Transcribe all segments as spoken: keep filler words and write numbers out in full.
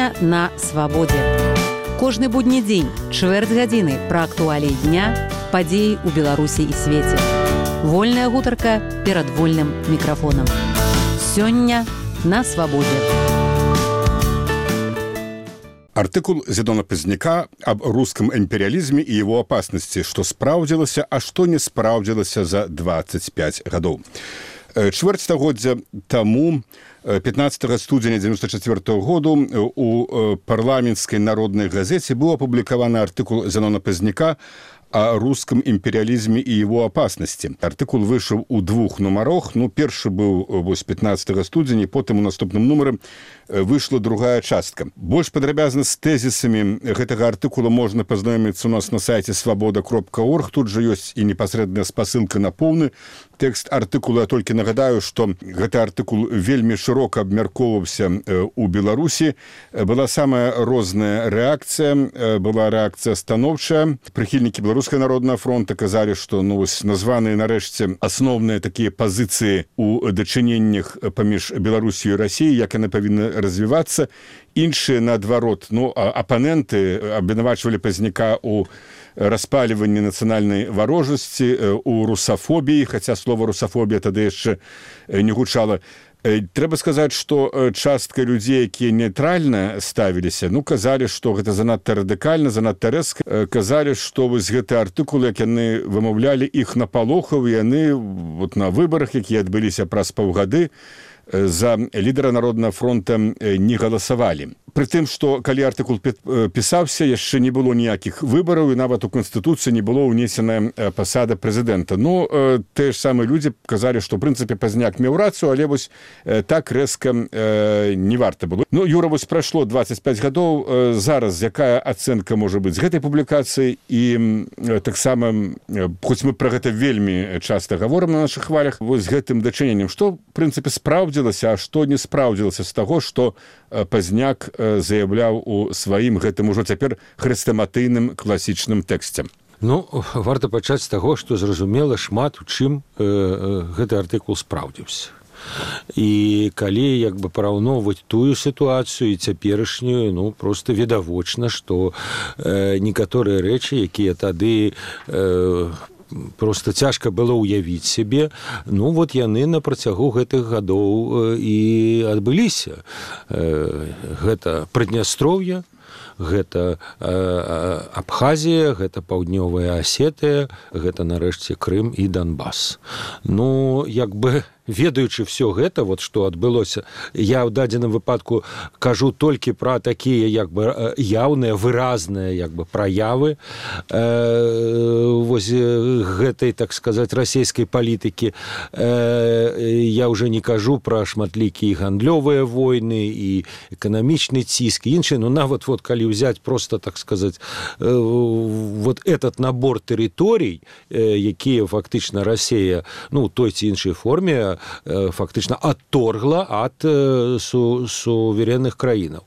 Сёння на свабодзе. Кожны будні дзень, чвэрць гадзіны пра актуаліі дня, падзеі ў Беларусі і свеце. Вольная гутарка перад вольным мікрафонам. Сёння на свабодзе. Артыкул Зенона Пазняка об русском империализме и его опасности, что спраўдзілася, а что не спраўдзілася за двадцать пять гадоў. Чвэрць стагоддзя таму, пятнадцатага студзеня девяносто четвёртого году, у парламенцкай народнай газеце быў апублікаваны артыкул Зенона Пазняка о русском империализме и его опасности. Артыкул вышел у двух нумарах. Ну, першы быў вось пятнадцатага студзеня, потым у наступным нумары вышла другая частка. Больш падрабязна з тэзісамі гэтага артыкула можна пазнаёміцца у нас на сайце свабода кропка орг. Тут жа ёсць і непасрэдная спасылка на поўны тэкст артыкула. Я толькі нагадаю, што гэты артыкул вельмі шырока абмяркоўваўся у Беларусі. Была самая розная рэакцыя, была рэакцыя станоўчая. Прыхільнікі Беларускага народнага фронта казалі, што ну, вось названыя нарэшце асноўныя такія пазіцыі ў дачыненнях паміж Беларусію і Расіяй, як яны павінны развівацца. Іншыя, наадварот, ну, апаненты абвінавачвалі Пазняка ў распаліванні нацыянальнай варожасці, у русафобіі, хаця слова русафобія тады яшчэ не гучала. Трэба сказаць, што частка людзей, якія нейтральна ставіліся, ну, казалі, што гэта занадта радыкальна, занадта рэзка. Казалі, што вось гэты артыкул, як яны вымаўлялі, іх напалохаў, і яны вот на выбарах, якія адбыліся праз паўгады, за лідара Народнага фронта не галасавалі. Прытым, што калі артыкул пісаўся, яшчэ не было ніякіх выбараў, і нават у Канстытуцыі не было ўнесена пасада прэзідэнта. Ну, тыя ж самыя людзі казалі, што, ў прынцыпе, Пазняк меў рацыю, але вось так рэзка не варта было. Ну, Юра, вось прайшло двадцать пять гадоў. Зараз якая ацэнка можа быць з гэтай публікацыі? І таксама, хоць мы пра гэта вельмі часта гаворым на нашых хвалях, вось гэтым дачыненнем, што, в прынцыпе, спраўдзілася, а што не спраўдзілася з таго, што Пазняк заяўляў у сваім гэтым ужо цяпер хрэстаматыйным класічным тэксце. Ну, варта пачаць з таго, што зразумела шмат у чым э, гэты артыкул спраўдзіўся. І калі як бы параўноўваць тую сітуацыю і цяперашнюю, ну, проста відавочна, што э, некаторыя рэчы, якія тады э, просто цяжка было ўявіць сябе, ну вот яны на працягу гэтых гадоў і адбыліся. Гэта Прыднястроўе, гэта Абхазія, гэта Паўднёвая Асетыя, гэта нарэшце Крым і Донбас. Ну, як бы ведаючы все гэта, вот што адбылося, я ў дадзеным выпадку кажу толькі пра такія як бы яўныя, выразныя як бы праявы э, вось гэтай, так сказаць, расійскай палітыкі. Э, я ўжо не кажу пра шматлікія гандлёвыя войны і эканамічны ціск і іншыя, но нават вот калі ўзяць просто, так сказаць, э, вот этот набор тэрыторый, э, якія фактычна Расія, ну, той ці іншай форме фактычна адторгла ад су, суверенных краінаў.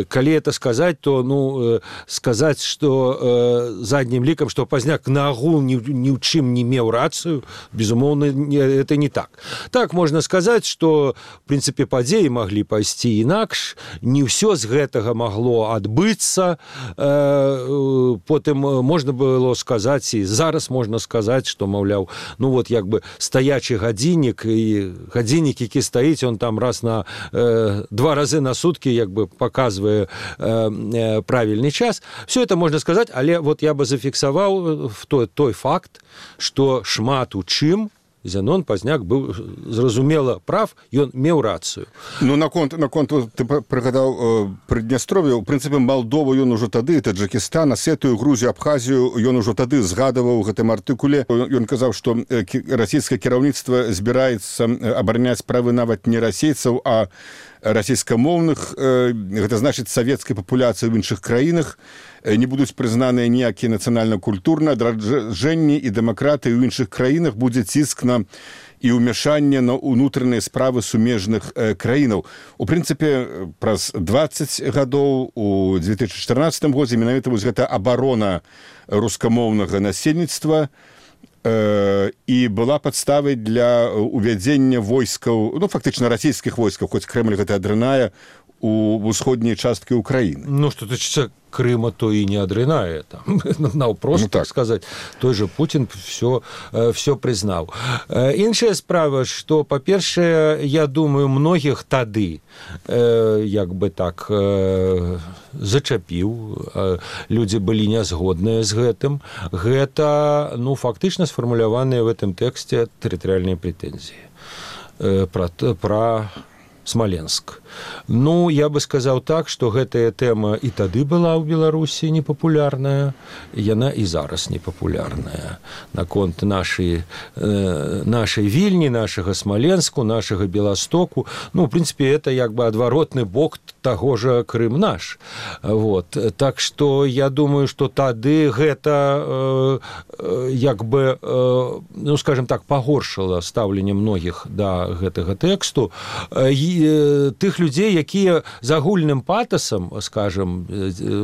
Калі это сказаць, то ну, сказаць, што заднім лікам, што Пазняк наогул ні, ні ў чым не меў рацыю, безумоўна, это не так. Так, можна сказаць, што, в прынцыпе, падзеі маглі пайсці інакш, не ўсё з гэтага магло адбыцца. Потым можна было сказаць, і зараз можна сказаць, што, маўляў, ну вот як бы стаячы гадзіннік, і гадзіннік, які стаіць, он там раз на э, два разы на суткі як бы паказвае э, э, правільны час. Все это можна сказаць, але вот я бы зафіксаваў той, той факт, што шмат у чым Зенон Пазняк быў зразумела прав, ён меў рацыю. Ну, наконт, наконт ты прыгадаў э, Прыднястров'е, у прынцыпе, Малдову ён ужо тады, Таджыкістан, Асетыю, Грузію, Абхазію, ён ужо тады згадаваў у гэтым артыкуле. Ён казаў, што расійскае кіраўніцтва збіраецца абараняць правы нават не расейцаў, а расійскамоўных, гэта значыць савецкай папуляцыі ў іншых краінах, не будуць прызнаныя ніякія нацыянальна-культурныя адраджэнні і дэмакратыі ў іншых краінах, будзе ціск на і ўмяшанне на ўнутраныя справы сумежных краінаў. У прынцыпе, праз двадцать гадоў у две тысячи чатырнаццатым годзе менавіта вось гэта абарона рускамоўнага насельніцтва і была падставай для увядзення войскаў, ну, фактычна расійскіх войскаў, хоць Крэмль гэта адрынае, у ўсходняй часткі ўкраіны. Ну што тычыцца Крыма, то і не адрынае там наўпрост, ну, так сказаць, той же Путін все, все прызнаў. Іншая справа, што па-першае, я думаю, многіх тады як бы так зачапіў, людзі былі нязгодныя з гэтым. Гэта, ну, фактычна сфармуляваныя в гэтым тэксце тэрытарыяльныя прэтэнзіі пра, пра Смоленск. Ну, я бы сказаў так, што гэтая тэма і тады была ў Беларусі непапулярная, яна і зараз непапулярная. Наконт нашай, э, нашай Вільні, нашага Смоленску, нашага Беластоку. Ну, в прынцыпе, это як бы адваротны бок таго же Крым наш. Вот. Так што я думаю, што тады гэта э, э, як бы, э, ну, скажем так, пагоршыла стаўленне многіх да гэтага тэксту. Э, тых людзей, якія з агульным патасам, скажем,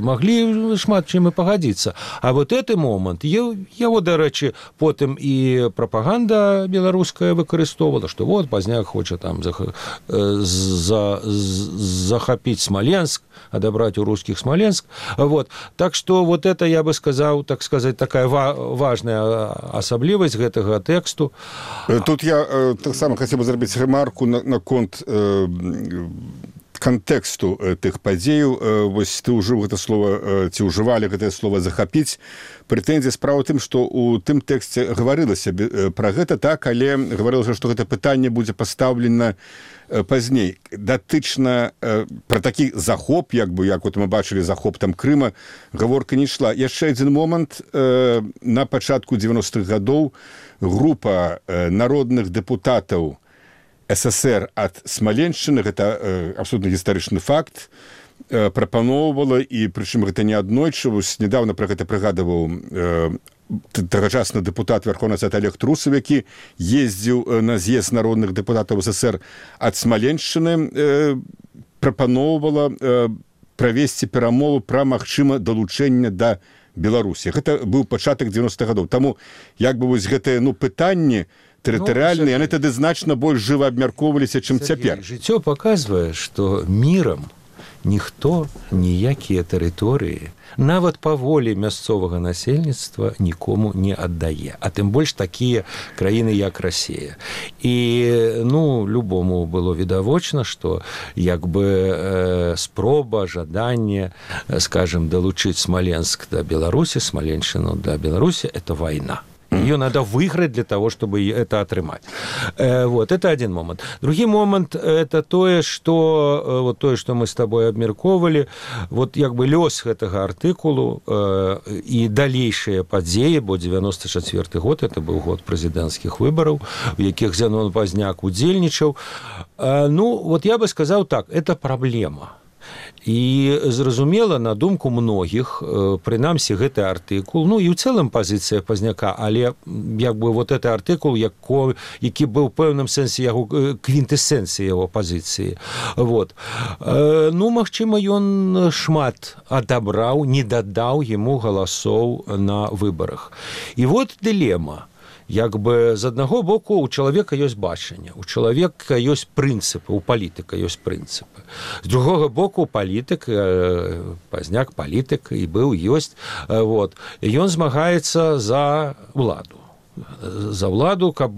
маглі шмат чым і пагадзіцца. А вот гэты момант, яго, дарэчы, потым і прапаганда беларуская выкарыстоўвала, што вот Пазняк хоча там захапіць Смоленск, адабраць у рускіх Смоленск. Вот. Так што вот это, я бы сказаў, так сказаць, такая важная асаблівасць гэтага тэксту. Тут я таксама хацеў бы зрабіць рэмарку наконт кантэксту тых падзеяў. Вось ты ўжыў гэта слова, ці ўжывалі гэтае слова захапіць. Прэтэнзія справа тым, што ў тым тэксце гаварылася пра гэта, так, але гаварылася, што гэта пытанне будзе пастаўлена пазней. Датычна пра такі захоп, як бы, як вот мы бачылі захоп там Крыма, гаворка не ішла. Яшчэ адзін момант. На пачатку дзевяностых гадоў група народных дэпутатаў СССР ад Смаленшчыны, гэта э, абсолютна гістарычны факт, э, прапаноўвала, і прычым гэта не аднойчы, вось недавно пра гэта прыгадываў э, тагачасны дэпутат Верховнага Саюза Олег Трусов, які ездзіў на з'езд народных дэпутатаў СССР ад Смаленшчыны, э, прапаноўвала э, правесці перамову пра магчыма далучэнне да Беларусі. Гэта быў пачатак дзевяностых гадоў. Таму як бы вось гэтае, ну, пытанне тэрытарыяльныя, яны тады значна больш жыва абмяркоўваліся, чым цяпер. Жыццё паказвае, што мірам ніхто ніякія тэрыторыі, нават па волі мясцовага насельніцтва, нікому не аддае. А тым больш такія краіны, як Расія. І, ну, любому было відавочна, што як бы э, спроба, жаданне, скажем, далучыць Смоленск да Беларусі, Смаленшчыну да Беларусі, это вайна. Ее надо выиграть для того, чтобы это отрымать. Вот, это один момент. Другой момент – это то, что, вот то, что мы с тобой обмерковали, вот как бы лёс этого артикулу и дальнейшие падзеи, бо девяносто четвёртый год, это был год президентских выборов, в яких Зенон Пазняк удзельнічаў. Ну, вот я бы сказал так, это проблема. І зразумела, на думку многіх, прынамсі гэты артыкул, ну і ў цэлым пазіцыя Пазняка, але як бы вот гэты артыкул, які быў у пэўным сэнсе яго квінтэсенцыі яго пазіцыі. Вот. Ну, магчыма, ён шмат адабраў, не дадаў яму галасоў на выбарах. І вот дылема. Як бы з аднаго боку у чалавека ёсць бачанне, у чалавека ёсць прынцыпы, у палітыка ёсць прынцыпы. З другога боку палітык, Пазняк палітык і быў, ёсць, вот, ён змагаецца за ўладу. За ўладу, каб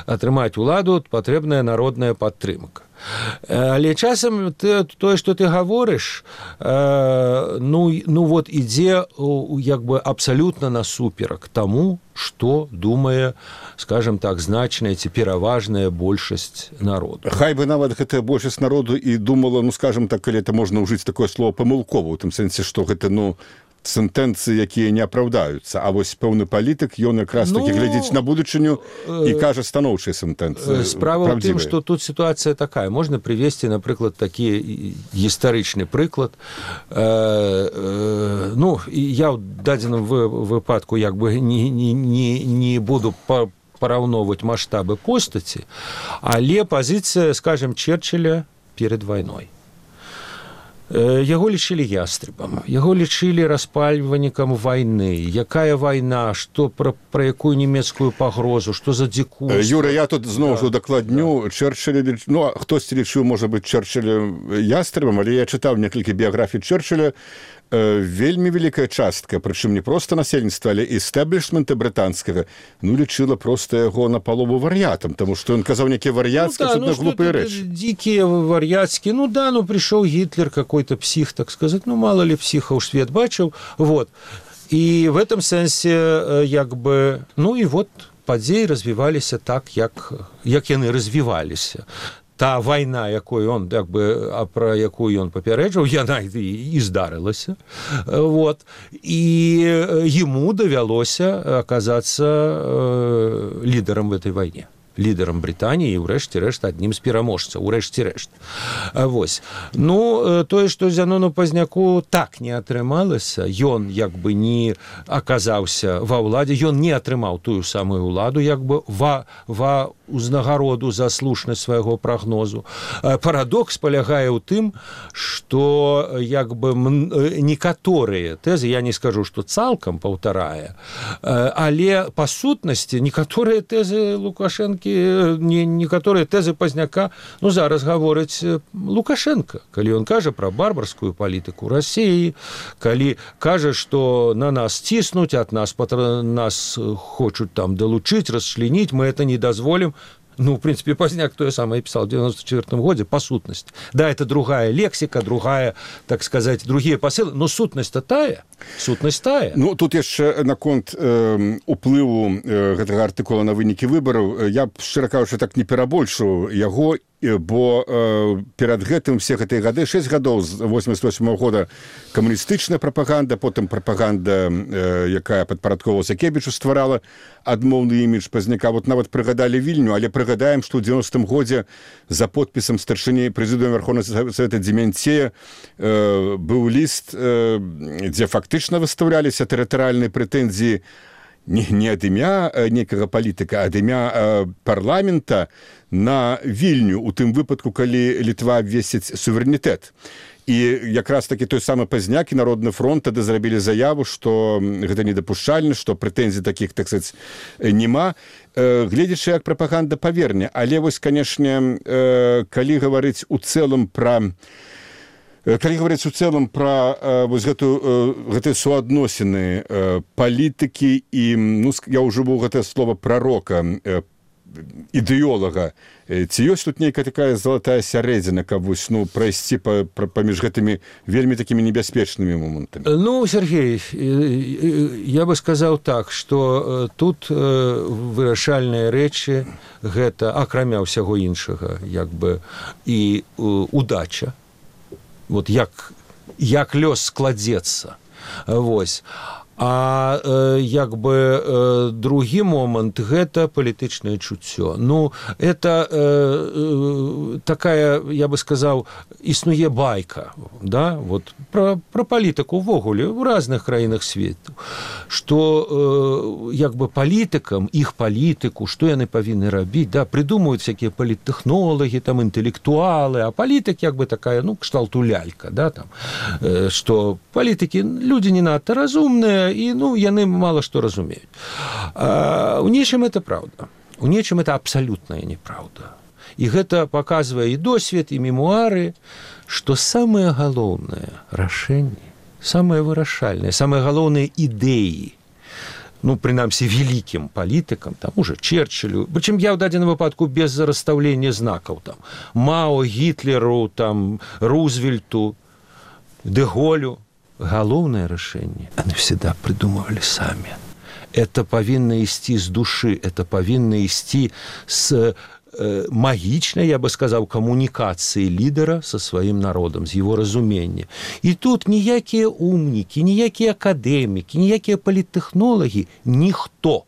атрымаць уладу, патрэбная народная падтрымка. Але часам ты, тое, што ты гаворыш, ну, ну вот ідзе як бы абсалютна насуперак таму, што думае, скажем так, значная ці пераважная большасць народу. Хай бы нават гэтая большасць народу і думала, ну, скажем так, калі это можна ўжыць такое слово памылкова, у тым сэнсе, што гэта, ну, сентэнцыі, якія не апраўдаюцца, а вось пэўны палітык, ён якраз такі ну, глядзіць на будучыню і кажа станоўчыя сентэнцыі. Справа ў тым, што тут сітуацыя такая. Можна прывесці, напрыклад, такі гістарычны прыклад. Э, э, ну, я ў дадзеным выпадку як бы не, не, не, не буду па параўноўваць маштабы постаці, але пазіцыя, скажем, Черчилля перед вайной. Яго лічылі ястребам, яго лічылі распальвальнікам вайны. Якая вайна, што пра, пра якую нямецкую пагрозу, што за дзікую. Юра, я тут зноў жа дакладню, да. Чэрчыль, ну, хтосьці лічыў, можа быць, Чэрчыль ястребам, але я чытаў некалькі біяграфій Чэрчыля, вельмі вялікая частка, прычым не проста насельніцтва, але эстэблішмента брытанскага, ну, лічыла проста яго напалову вар'ятам, таму што ён казаў нейкія вар'яцкія, ну, да, абсолютно ну, глупыя рэчы. Дикие вар'яцкія, ну да, ну пришел Гитлер, какой-то псих, так сказать, ну мало ли психов свет бачыў, вот. И в этом сэнсе, як бы, ну и вот падзеі развіваліся так, як, як яны развіваліся. Та вайна, якой он, як бы, а пра якую ён папярэджаў, яна і, і здарылася. Вот. І яму давялося аказацца э, лідарам в этой вайне. Лідарам Брытаніі і ўрэшце рэшт аднім з пераможцаў, урэшце рэшт. Вось. Ну, тое, што Зянону Пазняку так не атрымалася, ён як бы не аказаўся ва ўладзе, ён не атрымаў тую самую ўладу, як бы ва, ва узнагароду за слушнасць свайго прагнозу. Парадокс палягае ў тым, што як бы некаторыя тэзы, я не скажу, што цалкам паўтарае, але па сутнасці некаторыя тэзы Лукашэнкі, не, некаторыя тэзы Пазняка, ну, зараз гаворыць Лукашенко, калі ён кажа пра барбарскую палітыку Расіі, калі кажа, што на нас ціснуць, ад нас, нас хочуць там далучыць, расчленіць, мы это не дазволім. Ну, в принципе, Пазняк тое самае пісаў в девяносто четвёртом годзе, па сутнасці. Да, это другая лексика, другая, так сказать, другие посылы, но сутнасць-то тая, сутнасць тая. Ну, тут яшчэ наконт э, уплыву э, гэтага артыкула на вынікі выбараў, я б, шчыра кажучы, так не перабольшую яго, бо э, перад гэтым все гэтыя гады, шэсць гадоў з восемьдесят восьмого года камуністычная прапаганда, потым прапаганда, э, якая падпарадковалася Кебічу, стварала адмоўны імідж Пазняка. Вот нават прыгадалі Вільню, але прыгадаем, што ў девяностом годзе за подпісам старшыні прэзідыума Верховнага Савета Дземянцея э, быў ліст, э, дзе фактычна выстаўляліся тэрытарыяльныя прэтэнзіі не, не ад імя некага палітыка, а ад імя э, парламента на Вільню, у тым выпадку, калі Літва абвесціць суверэнітэт. І якраз такі той самы Пазняк і Народны фронт тады зрабілі заяву, што гэта недапушчальна, што прэтэнзій такіх, так сказаць, няма, э, гледзячы, як прапаганда паверне. Але вось, канешне, э, калі гаварыць у цэлым пра калі гаварыць у цэлым пра э, вось гэтую, э, гэтыя суадносіны э, палітыкі і, ну, я ўжыву гэтае слова прарока, э, ідэолага, ці ёсць тут нейкая такая залатая сярэдзіна, каб вось, ну, прайсці па, па, паміж гэтымі вельмі такімі небяспечнымі момантамі? Ну, Сергей, я бы сказаў так, што тут вырашальныя рэчы гэта, акрамя ўсяго іншага, як бы, і удача. Вот як, як лёс складзецца. Вось. А э, як бы э, другі момант гэта палітычнае чуццё. Ну, это э, э, такая, я бы сказаў, існуе байка, да, вот пра, пра палітыку ўвогуле ў разных краінах свету, што э, як бы палітыкам, іх палітыку, што яны павінны рабіць, да, прыдумаюць всякія паліттэхнолагі, там інтэлектуалы, а палітык як бы такая, ну, кшталту лялька, да, там, э, што палітыкі людзі не надта разумныя, і, ну, яны мало што разумеюць. А, у нечым это праўда. У нечым это абсалютная неправда. І гэта паказвае і досвед, і мемуары, што самае галоўнае рашэнне, самае вырашальнае, самыя галоўныя ідэі, ну, прынамсі, вялікім палітыкам, там, уже Чэрчылю, прычым я ў дадзеным выпадку без расстаўлення знакаў, там, Мао, Гітлеру, там, Рузвельту, Дэ Голю, галоўнае рашэнне они всегда придумывали сами. Это павінна ісці з душы, это павінна ісці з э, магічнай, я бы сказаў, камунікацыі лідара са сваім народам, з его разумення. І тут ніякія умнікі, ніякія акадэмікі, ніякія паліттэхнолагі, ніхто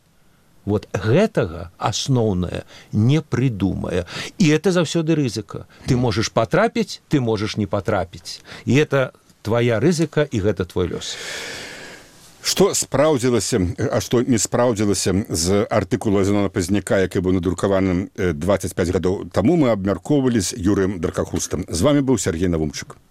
вот гэтага асноўнае не придумае. І это заўсёды рызыка. Ты можаш патрапіць, ты можаш не патрапіць. І это твоя рызыка, і гэта твой лёс. Што спраўдзілася, а што не спраўдзілася з артыкула Зянона Пазняка, які быў надрукаваным двадцять пять гадоў таму, мы абмяркоўвалі з Юрыем Даркахустам. З вами быў Сергей Навумчык.